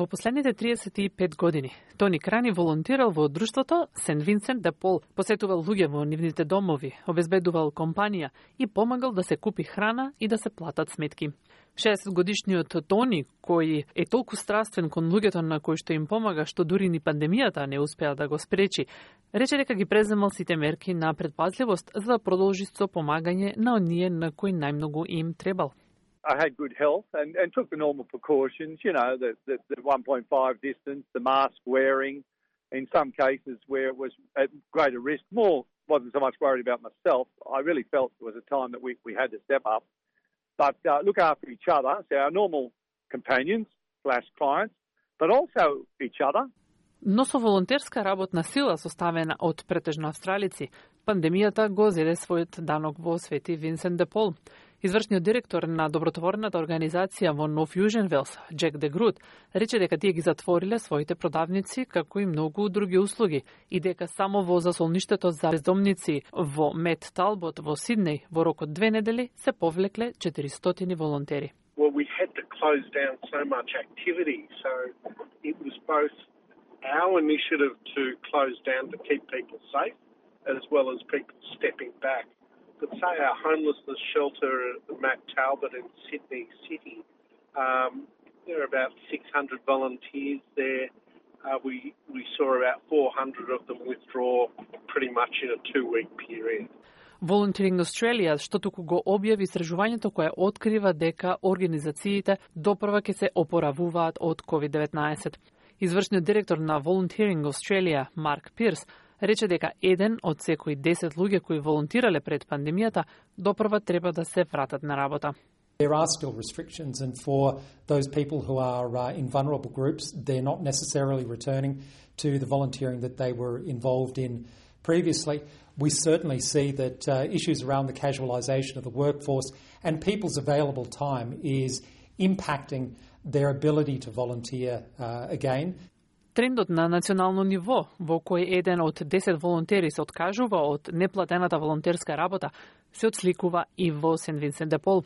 Во последните 35 години, Тони Крани волонтирал во друштвото Сент Винсент де Пол, посетувал луѓе во нивните домови, обезбедувал компанија и помагал да се купи храна и да се платат сметки. 60-годишниот Тони, кој е толку страствен кон луѓето на кои што им помага, што дури ни пандемијата не успеа да го спречи, рече дека ги преземал сите мерки на предпазливост за да продолжи со помагање на оние на кои најмногу им требал. I had good health and took the normal precautions, you know, the 1.5 distance, the mask wearing. In some cases where it was at greater risk, wasn't so much worried about myself. I really felt it was a time that we had to step up. But look after each other, so our normal companions / clients, but also each other. Но со волонтерска работна сила составена од претежно австралици, пандемијата го зеде својот данок во Свети Винсент де Пол. Извршниот директор на добротворната организација во Нов Јужен Велс, Джек де Грут, рече дека тие ги затвориле своите продавници, како и многу други услуги, и дека само во засолништето за бездомници во Мет Талбот во Сиднеј во рок од 2 недели се повлекле 400 волонтери. Well, we had to close down so much activity, so it was both our initiative to close down to keep people safe, as well as people stepping back. But say our homelessness shelter at Matt Talbot in Sydney City, there are about 600 volunteers there. We saw about 400 of them withdraw pretty much in a 2-week period. Volunteering Australia, што туку го објави истражувањето кое открива дека организациите допрва ќе се опоравуваат од COVID-19. Извршниот директор на Volunteering Australia, Марк Пирс, рече дека еден од секои 10 луѓе кои волонтирале пред пандемијата допрва треба да се вратат на работа. There are still restrictions, and for those people who are in vulnerable groups, they're not necessarily returning to the volunteering that they were involved in previously. We certainly see that issues around the casualisation of the workforce and people's available time is impacting their ability to volunteer again. Трендот на национално ниво, во кој еден од 10 волонтери се откажува од неплатената волонтерска работа, се отсликува и во Сент Винсент де Пол.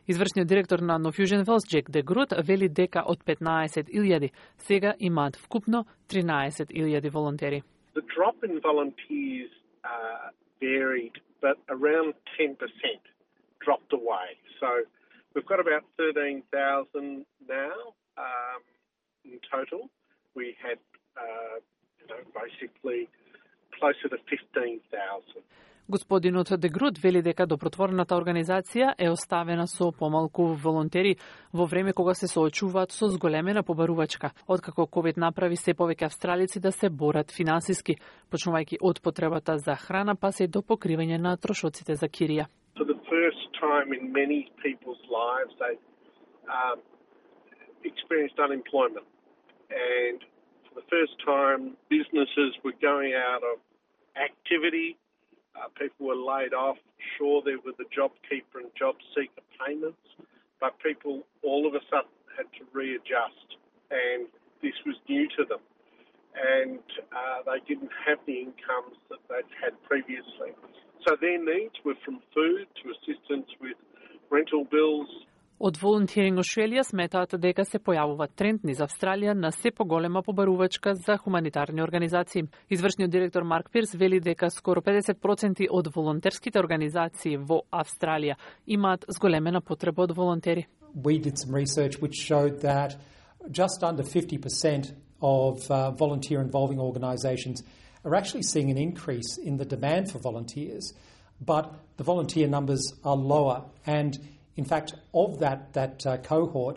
Извршниот директор на Нов Јужен Велс, Джек де Грут, вели дека од 15.000 сега имаат вкупно 13.000 волонтери. The drop in volunteers varied, but around 10% dropped away. So we've got about 13,000 now in total. We had, basically closer to 15,000. Господинот де Грут вели дека добротворната организација е оставена со помалку волонтери во време кога се соочуваат со зголемена побарувачка, откако COVID направи се повеќе австралици да се борат финансиски, почнувајќи од потребата за храна па се до покривање на трошоците за кирија. For the first time in many people's lives, they experienced unemployment. And for the first time, businesses were going out of activity. People were laid off. Sure, there were the JobKeeper and JobSeeker payments, but people all of a sudden had to readjust, and this was new to them. And they didn't have the incomes that they'd had previously. So their needs were from food to assistance with rental bills. Од Volunteering Australia сметаат дека се појавува тренд низ Австралија на се поголема побарувачка за хуманитарни организации. Извршниот директор Марк Пирс вели дека скоро 50% од волонтерските организации во Австралија имаат зголемена потреба од волонтери. We did some research which showed that just under 50% of volunteer involving organisations are actually seeing an increase in the demand for volunteers, but the volunteer numbers are lower, and in fact, of that cohort,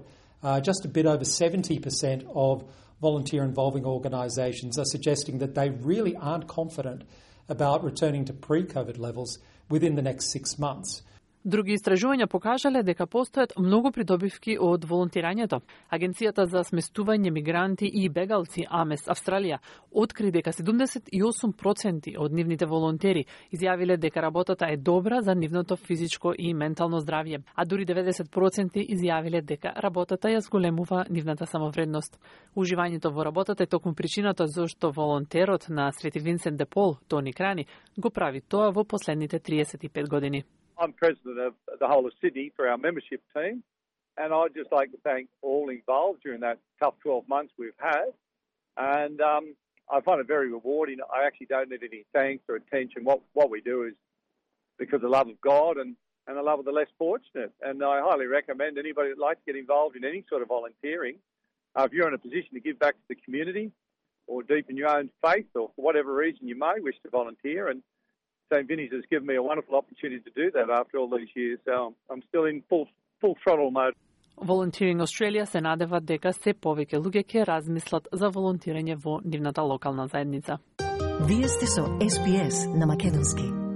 just a bit over 70% of volunteer-involving organisations are suggesting that they really aren't confident about returning to pre-COVID levels within the next 6 months. Други истражувања покажале дека постојат многу придобивки од волонтирањето. Агенцијата за сместување мигранти и бегалци АМЕС Австралија откри дека 78% од нивните волонтери изјавиле дека работата е добра за нивното физичко и ментално здравје, а дури 90% изјавиле дека работата ја зголемува нивната самовредност. Уживањето во работата е токму причината зашто волонтерот на Свети Винсент де Пол, Тони Крани, го прави тоа во последните 35 години. I'm president of the whole of Sydney for our membership team, And I'd just like to thank all involved during that tough 12 months we've had. And I find it very rewarding. I actually don't need any thanks or attention. What we do is because of the love of God and the love of the less fortunate. And I highly recommend anybody that likes to get involved in any sort of volunteering, if you're in a position to give back to the community or deepen your own faith or for whatever reason you may wish to volunteer. And St. Vinny's has given me a wonderful opportunity to do that after all these years. So I'm still in full throttle mode. Volunteering Australia се надева дека се повеќе луѓе ќе размислат за волонтирање во нивната локална заедница. Вие сте со SPS на македонски.